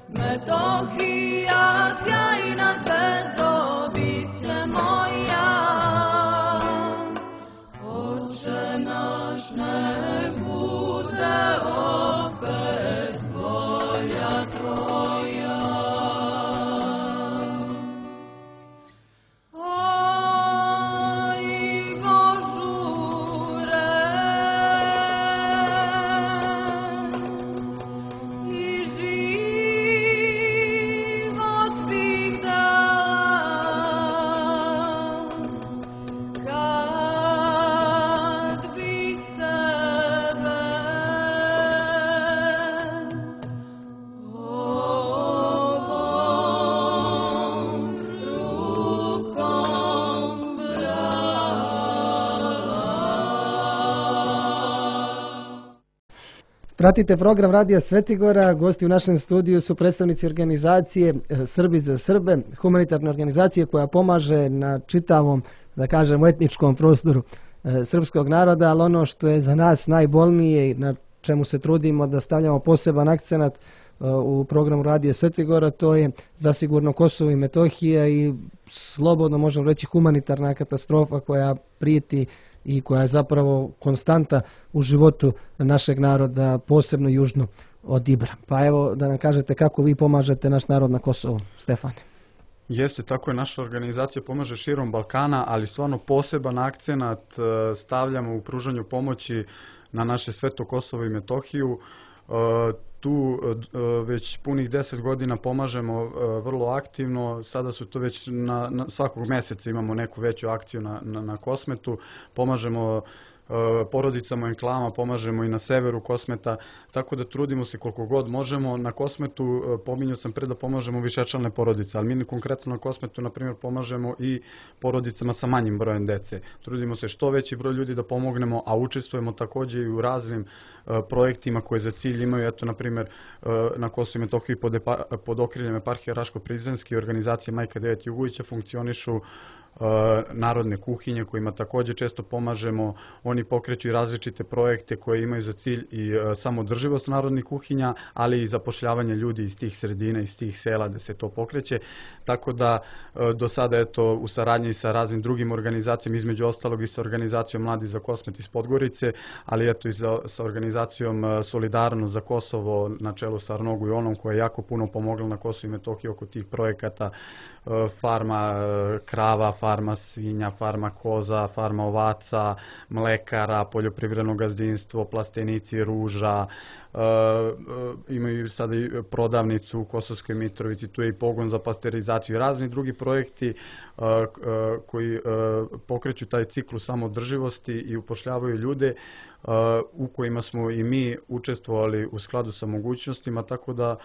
Metohija sjajna zvezdo biće moja, Oče naš nek bude opet volja tvoja. Pratite program Radija Svetigora, gosti u našem studiju su predstavnici organizacije Srbi za Srbe, humanitarne organizacije koja pomaže na čitavom, da kažemo, etničkom prostoru srpskog naroda, ali ono što je za nas najbolnije i na čemu se trudimo da stavljamo poseban akcenat u programu Radija Svetigora, to je zasigurno Kosovo i Metohija i slobodno možemo reći humanitarna katastrofa koja prijeti i koja je zapravo konstanta u životu našeg naroda, posebno južno od Ibra. Pa evo da nam kažete kako vi pomažete naš narod na Kosovu, Stefane. Jeste, tako je, naša organizacija pomaže širom Balkana, ali stvarno poseban akcenat stavljamo u pružanju pomoći na naše sveto Kosovo i Metohiju. Tu već punih 10 godina pomažemo vrlo aktivno, sada su to već svakog mjeseca imamo neku veću akciju na Kosmetu, pomažemo porodicama i enklama, pomažemo i na severu Kosmeta, tako da trudimo se koliko god možemo. Na Kosmetu, pominjao sam pre da pomažemo višečlane porodice, ali mi konkretno na Kosmetu, na primjer, pomažemo i porodicama sa manjim brojem dece. Trudimo se što veći broj ljudi da pomognemo, a učestvujemo također i u raznim projektima koje za cilj imaju, eto, na primjer, na Kosovu i Metohiji pod okriljem eparhije Raško-Prizrenske organizacije Majka Devet Jugovića funkcionišu narodne kuhinje kojima također često pomažemo. Oni pokreću i različite projekte koje imaju za cilj i samodrživost narodnih kuhinja, ali i zapošljavanje ljudi iz tih sredina, iz tih sela da se to pokreće. Tako da do sada eto u saradnji sa raznim drugim organizacijama, između ostalog i sa organizacijom Mladi za Kosmet iz Podgorice, ali eto i sa organizacijom Solidarnost za Kosovo na čelu sa Arnogu i Onom koja je jako puno pomogla na Kosovu i Metohiji oko tih projekata, farma krava, farma svinja, farma koza, farma ovaca, mlekara, poljoprivredno gazdinstvo, plastenici ruža, imaju sada i prodavnicu u Kosovskoj Mitrovici, tu je i pogon za pasterizaciju i razni drugi projekti koji pokreću taj ciklus samodrživosti i upošljavaju ljude u kojima smo i mi učestvovali u skladu sa mogućnostima, tako da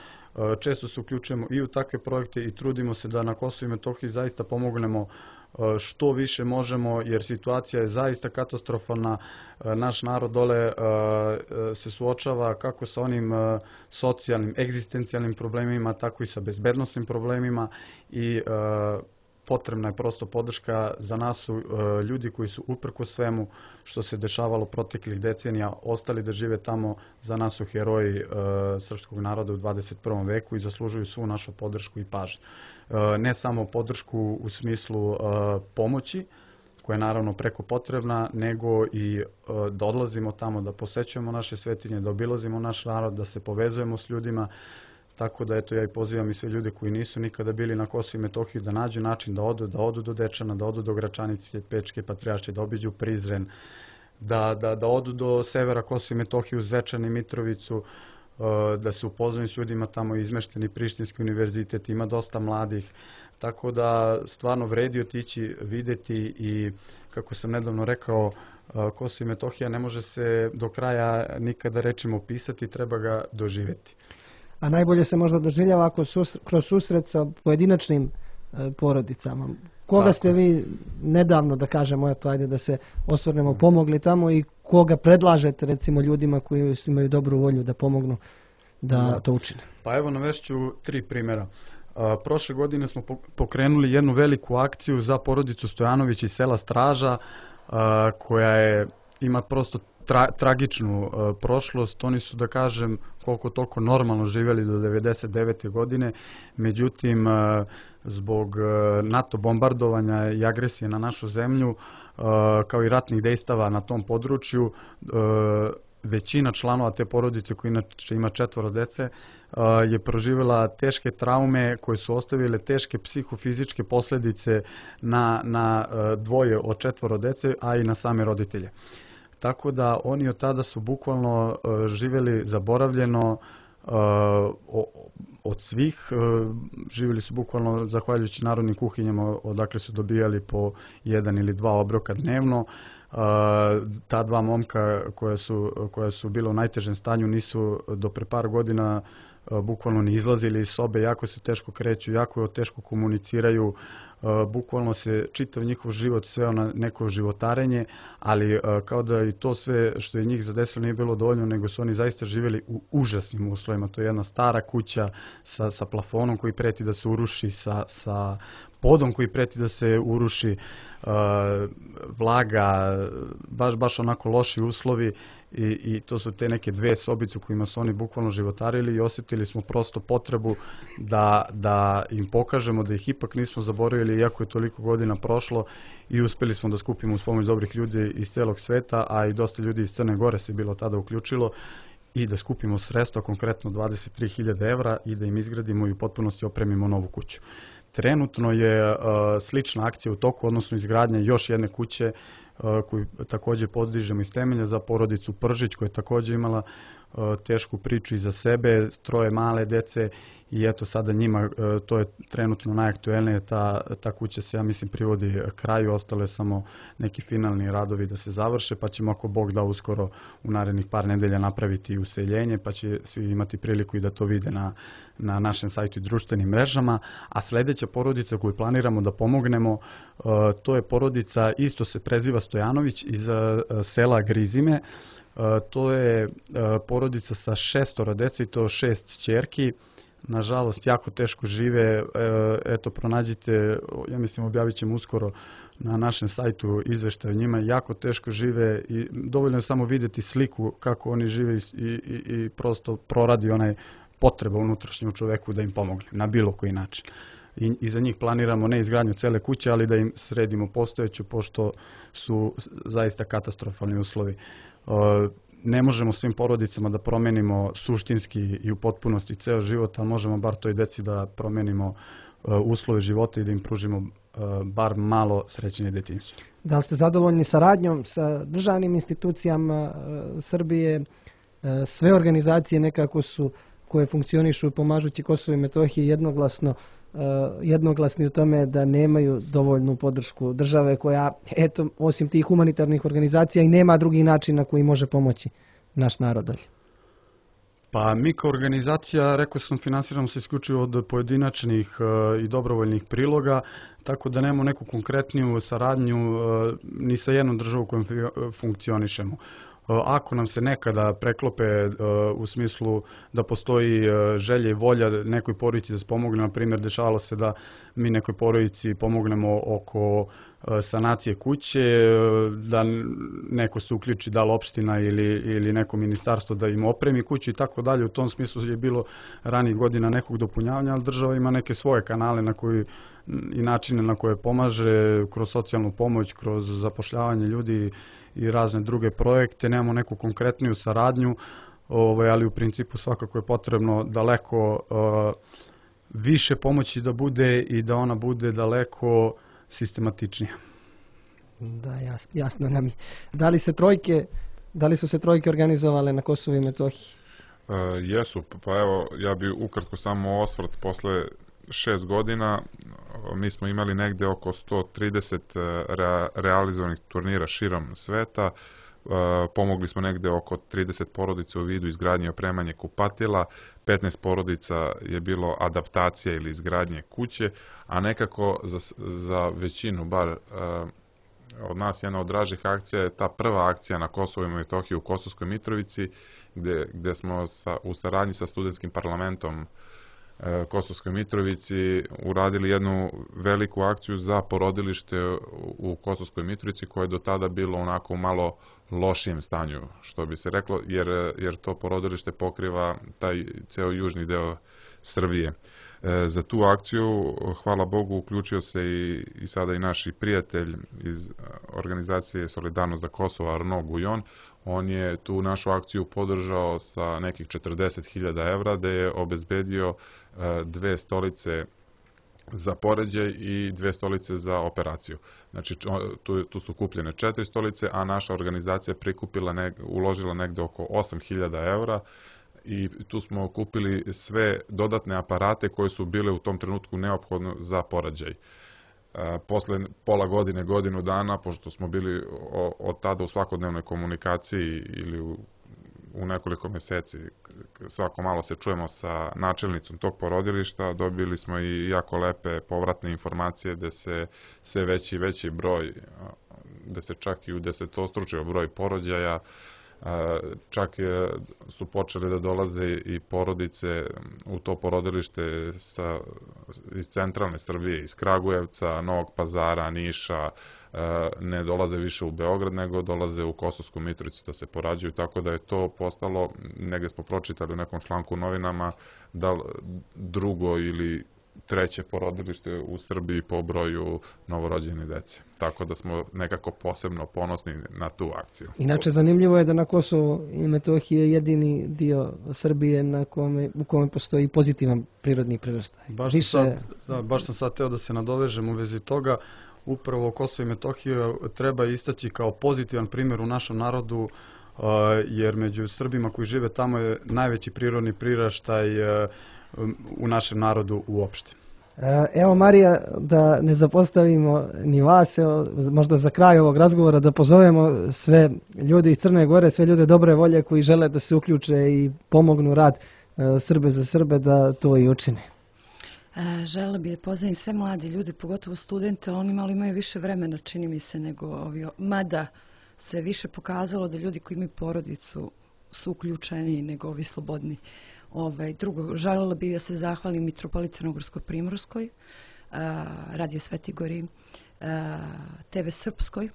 često se uključujemo i u takve projekte i trudimo se da na Kosovu i Metohiji zaista pomognemo što više možemo, jer situacija je zaista katastrofalna. Naš narod dole se suočava kako sa onim socijalnim, egzistencijalnim problemima, tako i sa bezbednosnim problemima i potrebna je prosto podrška. Za nas su ljudi koji su uprko svemu što se dešavalo proteklih decenija ostali da žive tamo, za nas su heroji srpskog naroda u 21. veku i zaslužuju svu našu podršku i pažnju. Ne samo podršku u smislu pomoći, koja je naravno preko potrebna, nego i da odlazimo tamo, da posećujemo naše svetinje, da obilazimo naš narod, da se povezujemo s ljudima. Tako da eto, ja i pozivam i sve ljude koji nisu nikada bili na Kosovu i Metohiji da nađu način da odu do Dečana, da odu do Gračanice, Pečke Patrijaršije, da obiđu Prizren, da odu do severa Kosova i Metohije u Zvečan i Mitrovicu, da se upoznaju s ljudima tamo, izmešteni Prištinski univerzitet, ima dosta mladih. Tako da stvarno vredi otići, videti i, kako sam nedavno rekao, Kosovo i Metohija ne može se do kraja nikada rečima opisati, treba ga doživjeti. A najbolje se možda doživljava kroz susret sa pojedinačnim porodicama. Koga ste vi nedavno, da kažemo, eto, ajde da se osvrnemo, pomogli tamo i koga predlažete recimo ljudima koji imaju dobru volju da pomognu da to učine? Pa evo navešću 3 primjera. Prošle godine smo pokrenuli jednu veliku akciju za porodicu Stojanović iz sela Straža, koja ima prosto tragičnu prošlost. Oni su, da kažem, koliko toliko normalno živjeli do 99. godine, međutim zbog NATO bombardovanja i agresije na našu zemlju, kao i ratnih dejstava na tom području, većina članova te porodice, koja inače ima 4 dece, je proživjela teške traume koje su ostavile teške psihofizičke posljedice na dvoje od 4 dece, a i na same roditelje. Tako da oni od tada su bukvalno živjeli zaboravljeno od svih. Živjeli su bukvalno zahvaljujući narodnim kuhinjama odakle su dobijali po 1 ili 2 obroka dnevno. Ta 2 momka koja su bila u najtežem stanju nisu do pre par godina bukvalno ni izlazili iz sobe, jako se teško kreću, jako teško komuniciraju, bukvalno se čitav njihov život sveo na neko životarenje, ali kao da i to sve što je njih zadesilo nije bilo dovoljno, nego su oni zaista živjeli u užasnim uslovima. To je jedna stara kuća sa plafonom koji preti da se uruši, sa podom koji preti da se uruši, vlaga, baš onako loši uslovi i to su te neke 2 sobice u kojima su oni bukvalno životarili i osjetili smo prosto potrebu da im pokažemo da ih ipak nismo zaboravili iako je toliko godina prošlo i uspjeli smo da skupimo uz pomoć dobrih ljudi iz celog sveta, a i dosta ljudi iz Crne Gore se bilo tada uključilo i da skupimo sredstva, konkretno 23.000 evra i da im izgradimo i u potpunosti opremimo novu kuću. Trenutno je slična akcija u toku, odnosno izgradnja još jedne kuće koju također podižemo iz temelja za porodicu Pržić, koja je također imala tešku priču iza sebe, 3 male dece i eto sada njima, to je trenutno najaktuelnije, ta kuća se, ja mislim, privodi kraju, ostale samo neki finalni radovi da se završe, pa ćemo ako Bog da uskoro u narednih par nedelja napraviti useljenje, pa će svi imati priliku i da to vide na našem sajtu i društvenim mrežama. A sljedeća porodica koju planiramo da pomognemo, to je porodica, isto se preziva Stojanović, iz sela Grizime. To je porodica sa 6 dece i to 6 ćerki. Nažalost, jako teško žive. Eto, pronađite, ja mislim, objavit ćemo uskoro na našem sajtu izveštaj o njima. Jako teško žive i dovoljno je samo vidjeti sliku kako oni žive i prosto proradi onaj potreba unutrašnje u čoveku da im pomogne na bilo koji način. I za njih planiramo ne izgradnju cele kuće, ali da im sredimo postojeću, pošto su zaista katastrofalni uslovi. Ne možemo svim porodicama da promenimo suštinski i u potpunosti ceo život, ali možemo bar toj deci da promenimo uslove života i da im pružimo bar malo srećenje detinjstva. Da li ste zadovoljni saradnjom sa državnim institucijama Srbije? Sve organizacije nekako su koje funkcionišu i pomažući Kosovo i Metohiji jednoglasni u tome da nemaju dovoljnu podršku države koja, eto, osim tih humanitarnih organizacija i nema drugi način na koji može pomoći naš narod. Pa mi kao organizacija, rekao sam, finansiramo se isključivo od pojedinačnih i dobrovoljnih priloga, tako da nemamo neku konkretniju saradnju ni sa jednom državom kojom funkcionišemo. ako nam se nekada preklope u smislu da postoji želja i volja nekoj porodici da se pomogne, na primjer dešavalo se da mi nekoj porodici pomognemo oko sanacije kuće, da neko se uključi, da li opština ili neko ministarstvo da im opremi kuću i tako dalje. U tom smislu je bilo ranijih godina nekog dopunjavanja, ali država ima neke svoje kanale na koji i načine na koje pomaže kroz socijalnu pomoć, kroz zapošljavanje ljudi i razne druge projekte. Nemamo neku konkretniju saradnju, ali u principu svakako je potrebno daleko više pomoći da bude i da ona bude daleko sistematičnija. Da, jasno nam je. Da li su se trojke organizovale na Kosovu i Metohiji? Jesu, pa evo, ja bi ukratko samo osvrt posle 6 godina. Mi smo imali negde oko 130 realizovanih turnira širom sveta. Pomogli smo negde oko 30 porodica u vidu izgradnje i opremanje kupatila, 15 porodica je bilo adaptacija ili izgradnje kuće, a nekako za većinu, bar od nas jedna od dražih akcija je ta prva akcija na Kosovu i Metohiji u Kosovskoj Mitrovici, gde smo u saradnji sa studentskim parlamentom Kosovskoj Mitrovici uradili jednu veliku akciju za porodilište u Kosovskoj Mitrovici koje je do tada bilo onako malo lošijem stanju, što bi se reklo, jer to porodilište pokriva taj ceo južni deo Srbije. Za tu akciju, hvala Bogu, uključio se i sada i naš prijatelj iz organizacije Solidarnost za Kosovo, Arno Gujon. On je tu našu akciju podržao sa nekih 40.000 evra, gde je obezbedio 2 stolice za poređaj i 2 stolice za operaciju. Znači, tu su kupljene 4 stolice, a naša organizacija uložila negde oko 8.000 evra i tu smo kupili sve dodatne aparate koje su bile u tom trenutku neophodne za poređaj. Posle pola godine, godinu dana, pošto smo bili od tada u svakodnevnoj komunikaciji ili u nekoliko meseci, svako malo se čujemo sa načelnicom tog porodilišta, dobili smo i jako lepe povratne informacije da se sve veći i veći broj, da se čak i u 10-stručio broj porođaja, čak su počeli da dolaze i porodice u to porodilište iz centralne Srbije, iz Kragujevca, Novog Pazara, Niša, ne dolaze više u Beograd, nego dolaze u Kosovsku Mitrovicu da se porađuju, tako da je to postalo, negdje smo pročitali u nekom članku u novinama, da drugo ili treće porodilište u Srbiji po broju novorođene dece. Tako da smo nekako posebno ponosni na tu akciju. Inače, zanimljivo je da na Kosovu i Metohiji je jedini dio Srbije u kome postoji pozitivan prirodni priraštaj. Baš sam sad teo da se nadovežem u vezi toga. Upravo Kosovo i Metohiju treba istaći kao pozitivan primjer u našem narodu, jer među Srbima koji žive tamo je najveći prirodni priraštaj u našem narodu uopšte. Evo, Marija, da ne zapostavimo ni vas, možda za kraj ovog razgovora da pozovemo sve ljude iz Crne Gore, sve ljude dobre volje koji žele da se uključe i pomognu rad Srbe za Srbe da to i učine. Želela bih da pozdravim sve mlade ljude, pogotovo studente, oni malo imaju više vremena, čini mi se, nego ovi, mada se više pokazalo da ljudi koji imaju porodicu su uključeni nego ovi slobodni. Drugo, želela bih da se zahvalim Mitropoliji Crnogorsko-Primorskoj, Radio Sveti Gori, TV Srpskoj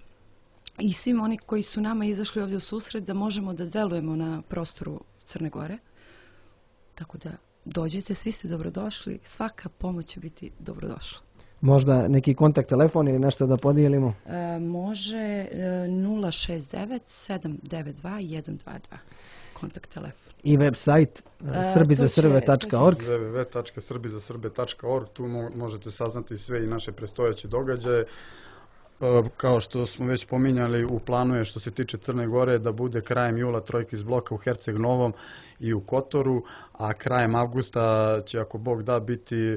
i svim oni koji su nama izašli ovdje u susret da možemo da delujemo na prostoru Crne Gore. Tako da dođite, svi ste dobrodošli, svaka pomoć će biti dobrodošla. Možda neki kontakt telefon ili nešto da podijelimo? Može 069 792 122. Kontakt telefon. I web sajt srbizasrbe.org. www.srbizasrbe.org. Tu možete saznati sve i naše predstojeće događaje. Kao što smo već pominjali, u planu je što se tiče Crne Gore da bude krajem jula trojka iz bloka u Herceg Novom i u Kotoru, a krajem avgusta će, ako Bog da, biti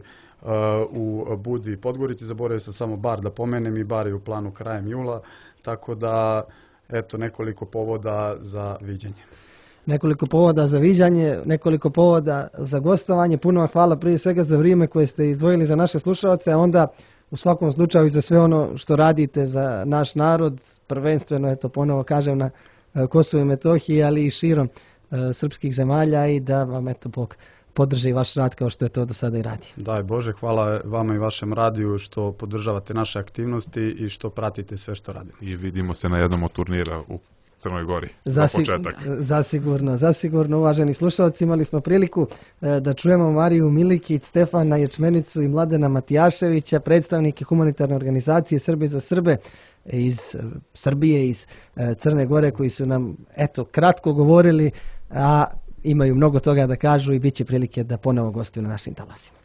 u Budi i Podgorici. Zaboravio sam samo bar da pomenem, i bar je u planu krajem jula, tako da eto nekoliko povoda za viđenje. Nekoliko povoda za viđanje, nekoliko povoda za gostovanje. Puno vam hvala prije svega za vrijeme koje ste izdvojili za naše slušalce, a onda u svakom slučaju za sve ono što radite za naš narod, prvenstveno, eto ponovo kažem, na Kosovo i Metohije, ali i širom srpskih zemalja i da vam eto Bog podrži vaš rad kao što je to do sada i radi. Daj Bože, hvala vama i vašem radiju što podržavate naše aktivnosti i što pratite sve što radimo. I vidimo se na jednom od turnira u Crnoj Gori za početak. Zasigurno, uvaženi slušalci, imali smo priliku da čujemo Mariju Milikić, Stefana Ječmenicu i Mladena Matijaševića, predstavnike humanitarne organizacije Srbi za Srbe iz Srbije, iz Crne Gore, koji su nam eto kratko govorili, a imaju mnogo toga da kažu i bit će prilike da ponovo gostuju na našim talasima.